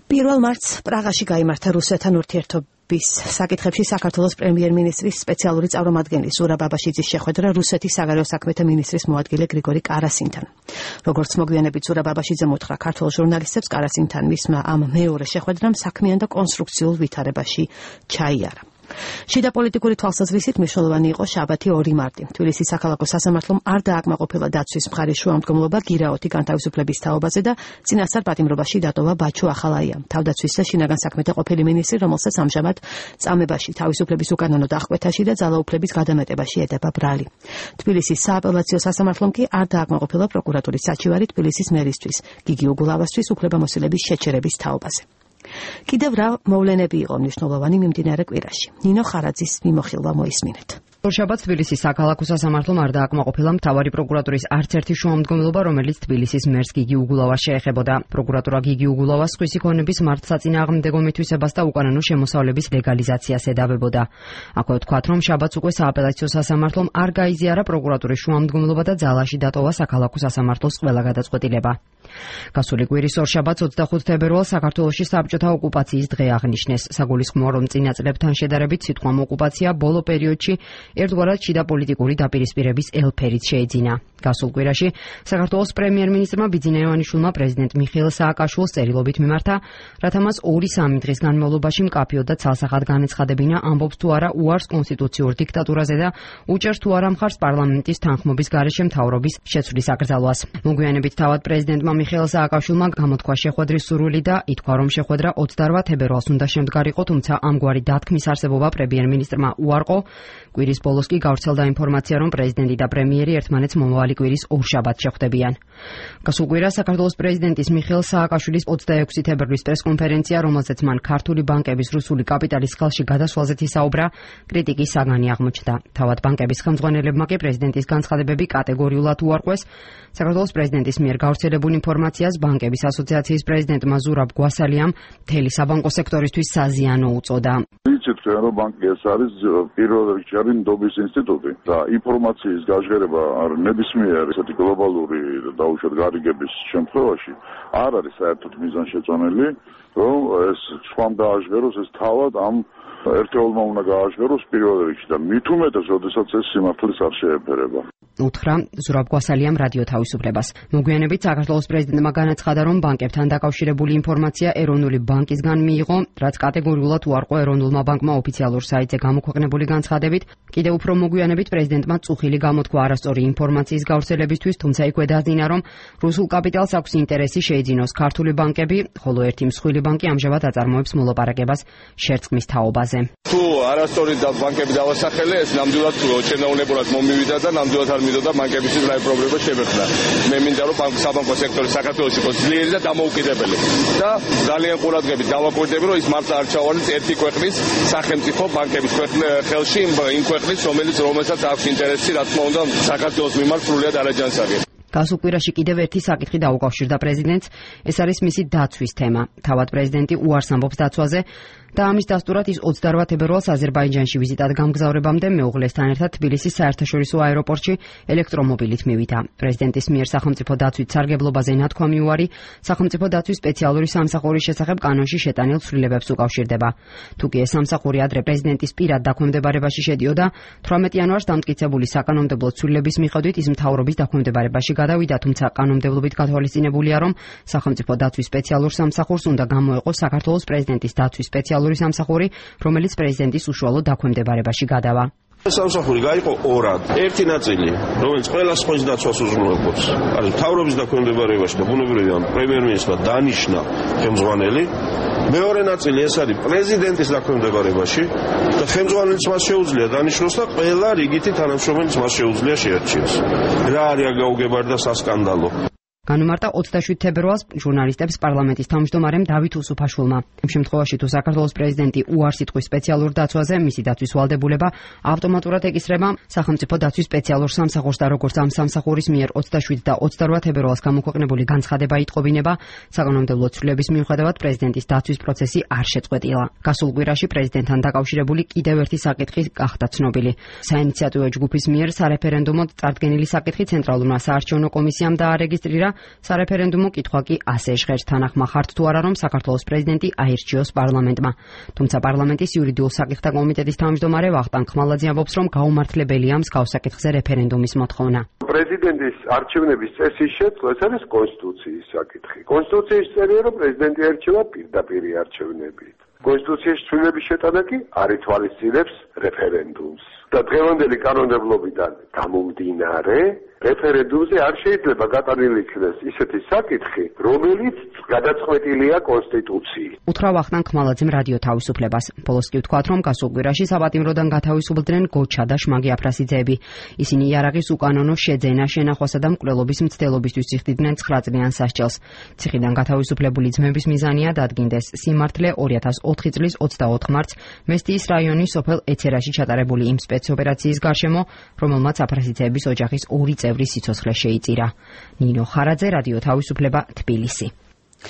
1 მარტს პრაღაში გაიმართა რუსეთთან ურთიერთობის საკითხებში საქართველოს პრემიერ-მინისტრის სპეციალური წარმომადგენლის ზურაბ აბაშიძის შეხვედრა რუსეთის საგარეო საქმეთა მინისტრის მოადგილე გრიგორი კარასინთან. როგორც მოგვიანებით ზურაბ აბაშიძემ უთხრა ქართულ ჟურნალისტებს, კარასინთან მისმა ამ მეორე შეხვედრამ საქმიან და კონსტრუქციულ ვითარებაში ჩაიარა. შიდა პოლიტიკური თვალსაზრისით მნიშვნელოვანი იყო შაბათი 2 მარტი. თბილისის საქალაქო სასამართლომ არ დააკმაყოფილა დაცვის მხარის შუამდგომლობა გირაოთი განთავისუფლების თაობაზე და წინასწარ პატიმრობაში დატოვა ბაჩო ახალაია, თავდაცვის და შინაგან საქმეთა ყოფილი მინისტრი, რომელსაც ამჟამად წამებაში, თავისუფლების უკანონო დახკვეთაში და ძალაუფლების გადამეტებაში ედება ბრალი. თბილისის სააპელაციო სასამართლომ კი არ დააკმაყოფილა პროკურატურის საჩივარი თბილისის მერისთვის, გიგი უგულავასთვის უფლებამოსილების შეჩერების თაობაზე. კიდევ რა მოვლენები იყო მნიშვნელოვანი მიმდინარე კვირაში. ნინო ხარაძის მიმოხილვა მოისმინეთ. შაბათს თბილისის საქალაქო სასამართლომ არ დააკმაყოფილა მთავარი პროკურატურის არც ერთი შუამდგომლობა, რომელიც თბილისის მერს გიგი უგულავას შეეხებოდა. პროკურატურა გიგი უგულავას სხვისი ქონების მართლსაწინააღმდეგო მითვისებას და უკანონო შემოსავლების ლეგალიზაციას ედავებოდა. აქვე ვთქვათ, რომ შაბათს უკვე სააპელაციო სასამართლომ არ გაიზიარა პროკურატურის შუამდგომლობა და ძალაში დატოვა საქალაქო სასამართლოს ყველა გადაწყვეტილება. გასული კვირის ორშაბათს 25 თებერვალს საქართველოში საბჭოთა ოკუპაციის დღე აღნიშნეს. საგულისხმოა, რომ წინა წლებთან შედარებით სიტყვა ოკუპაცია ბოლო პერიოდში ერთგვარად შიდა პოლიტიკური დაპირისპირების ელფერით შეეძინა. გასულ კვირაში საქართველოს პრემიერ-მინისტრმა ბიძინა ივანიშვილმა პრეზიდენტ მიხეილ სააკაშვილს წერილობით მიმართა, რათა მას 2-3 დღის განმავლობაში მკაფიოდ და ცალსახად განეცხადებინა, ამბობს თუ არა უარს კონსტიტუციურ დიქტატურაზე და უჭერს თუ არა მხარს პარლამენტის თანხმობის გარეშე მთავრობის შეცვლის აკრძალვას. მოგვიანებით თავად პრეზიდენტმა მიხეილ სააკაშვილმა გამოთქვა შეხვედრის სურვილი და ითქვა, რომ შეხვედრა 28 თებერვალს უნდა შემდგარიყო, თუმცა ამგვარი დათქმის არსებობა პრემიერ-მინისტრმა უარყო. კვირის ბოლოს კი გავრცელდა ინფორმაცია, რომ პრეზიდენტი და პრემიერი ერთმანეთს მომავალი კვირის ორშაბათს შეხვდებიან. გასულ კვირას საქართველოს პრეზიდენტის მიხეილ სააკაშვილის 26 თებერვლის პრესკონფერენცია, რომელზეც მან ქართული ბანკების რუსული კაპიტალის ხელში გადასვლაზეც ისაუბრა, კრიტიკის საგანი აღმოჩნდა. თავად ბანკების ხელმძღვანელებმა კი პრეზიდენტის განცხადებები კატეგორიულად უარყვეს. საქართველოს პრეზიდენტის მიერ გავრცელებულ ინფორმაციას ბანკების ასოციაციის პრეზიდენტმა ზურაბ გვასალიამ მთელი საბანკო სექტორისთვის საზიანო უწოდა. რომ ბანკი ეს არის პირველ რიგში არის ნდობის ინსტიტუტი და ინფორმაციის გაჟღერება ნებისმიერ ესეთი გლობალური დაუშვათ გარიგების შემთხვევაში არ არის საერთოდ მიზანშეწონილი, რომ ეს სხვამ გააჟღეროს, ეს თავად ამ ერთეულმა უნდა გააჟღეროს პირველ რიგში და მით უმეტეს, როდესაც ეს სიმართლეს არ შეეფერება. უთხრა ზურაბ გვასალიამ რადიო თავისუფლებას. მოგვიანებით საქართველოს პრეზიდენტმა განაცხადა, რომ ბანკებთან დაკავშირებული ინფორმაცია ეროვნული ბანკისგან მიიღო, რაც კატეგორიულად უარყო ეროვნულმა ბანკმა ოფიციალურ საიტზე გამოქვეყნებული განცხადებით. კიდევ უფრო მოგვიანებით პრეზიდენტმა წუხილი გამოთქვა არასწორი ინფორმაციის გავრცელებისთვის, თუმცა იქვე დაძინა, რომ რუსულ კაპიტალს აქვს ინტერესი შეიძინოს ქართული ბანკები, ხოლო ერთი მსხვილი ბანკი ამჟამად აწარმოებს მოლაპარაკებას შერწყმის თაობაზე. თუ არასწორი ბანკები დავასახელე, ეს ნამდვილად შენაუნებურად მომივიდა და ნამდვილად არ მიდოდა ბანკებისთვის რაიმე პრობლემა შემეხვდა. მე მინდა რომ საბანკო სექტორი საქართველოში იყოს ძლიერი და დამოუკიდებელი. და ძალიან ყურადღებით დავაკვირდები, რომ ის მართლა არ ჩავალოს ერთი ქვეყნის სახელმწიფო ბანკების ხელში იმ ქვეყნის, რომელსაც აქვს ინტერესი, რა თქმა უნდა, საქართველოს მიმართ სრულიად არაჯანსაღი. გასულ კვირაში კიდევ ერთი საკითხი დაუკავშირდა პრეზიდენტს, ეს არის მისი დაცვის თემა. თავად პრეზიდენტი უარს ამბობს დაცვაზე და ამის დასტურად ის 28 თებერვალს აზერბაიჯანში ვიზიტად გამგზავრებამდე მეუღლესთან ერთად თბილისის საერთაშორისო აეროპორტში ელექტრომობილით მივიდა. პრეზიდენტის მიერ სახელმწიფო დაცვით სარგებლობაზე ნათქვამი უარი სახელმწიფო დაცვის სპეციალური სამსახურის შესახებ კანონში შეტანილ ცვლილებებს უკავშირდება. თუკი ეს სამსახური ადრე პრეზიდენტის პირად დაქვემდებარებაში შედიოდა, 18 იანვარს დამტკიცებული საკანონმდებლო ცვლილების მიხედვით ის მთავრობის დაქვემდებარებაში გადავიდა, თუმცა კანონმდებლობით გათვალისწინებულია, რომ სახელმწიფო დაცვის სპეციალურ სამსახურს უნდა გამოეყოს საქართველოს პრეზიდენტის დაცვის სპეციალური სამსახური, რომელიც პრეზიდენტის უშუალო დაქვემდებარებაში გადავა. სამსახური გაიყო ორად. ერთი ნაწილი, რომელიც ყველა სხვის დაცვას უზრუნველყოფს, არის მთავრობის დაქვემდებარებაში და ბუნებრივია პრემიერ-მინისტრმა დანიშნა ხელმძღვანელი. მეორე ნაწილი ეს არის პრეზიდენტის დაქვემდებარებაში და ხელმძღვანელს მას შეუძლია დანიშნოს და ყველა რიგითი თანამშრომელს მას შეუძლია შეარჩიოს. რა არის გაუგებარი და სასკანდალო. განუმარტა 27 თებერვალს ჟურნალისტებს პარლამენტის თავმჯდომარემ დავით უსუფაშვილმა. იმ შემთხვევაში, თუ საქართველოს პრეზიდენტი უარს იტყვის სპეციალურ დაცვაზე, მისი დაცვის ვალდებულება ავტომატურად ეკისრება სახელმწიფო დაცვის სპეციალურ სამსახურს და როგორც ამ სამსახურის მიერ 27 და 28 თებერვალს გამოქვეყნებული განცხადება იტყობინება, საკანონმდებლო ცვლილების მიუხედავად პრეზიდენტის დაცვის პროცესი არ შეწყვეტილა. გასულ კვირაში პრეზიდენტთან დაკავშირებული კიდევ ერთი საკითხი გახდა ცნობილი. საინიციატივო ჯგუფის მიერ სარეფერენდუმო წარდგენილი საკითხი ცენტრალურმა საარჩევნო კომისიამ დაარეგისტრირა სარეფერენდუმო კითხვა კი ასე ჟღერს თანახმა ხართ თუ არა რომ საქართველოს პრეზიდენტი აირჩიოს პარლამენტმა. თუმცა პარლამენტის იურიდიულ საკითხთა კომიტეტის თავმჯდომარე ვახტანგ ხმალაძე ამბობს, რომ გაუმართლებელია მსგავს საკითხზე რეფერენდუმის მოთხოვნა. პრეზიდენტის არჩევნების წესის შეცვლა ეს არის კონსტიტუციის საკითხი. კონსტიტუციის წერია, რომ პრეზიდენტი არჩევა პირდაპირი არჩევნებით. კონსტიტუციის ცვლილების შეტანა კი არ ითვალისწინებს რეფერენდუმს. და დღევანდელი კანონმდებლობიდან გამომდინარე, რეფერენდუმზე არ შეიძლება გატანილი იქნეს ისეთი საკითხი, რომელიც გადაწყვეტილია კონსტიტუციით. უთხრა ვახტანგ ხმალაძემ რადიო თავისუფლებას. ბოლოს კი ვთქვათ, რომ გასულ კვირაში საპატიმროდან გათავისუფლდნენ გოჩა და შმაგი აფრასიძეები. ისინი იარაღის უკანონო შეძენა, შენახვასა და მკვლელობის მცდელობისთვის იხდიდნენ 9 წლიან სასჯელს. ციხიდან გათავისუფლებული ძმების მიზანია დადგინდეს სიმართლე 2004 წლის 24 მარტს მესტიის რაიონის სოფელ ეცერაში ჩატარებული იმ სპეცოპერაციის გარშემო, რომელმაც აფრასიძეების ოჯახის 2 წევრი სიცოცხლე შეიწირა. ნინო ხარაძე, რადიო თავისუფლება, თბილისი.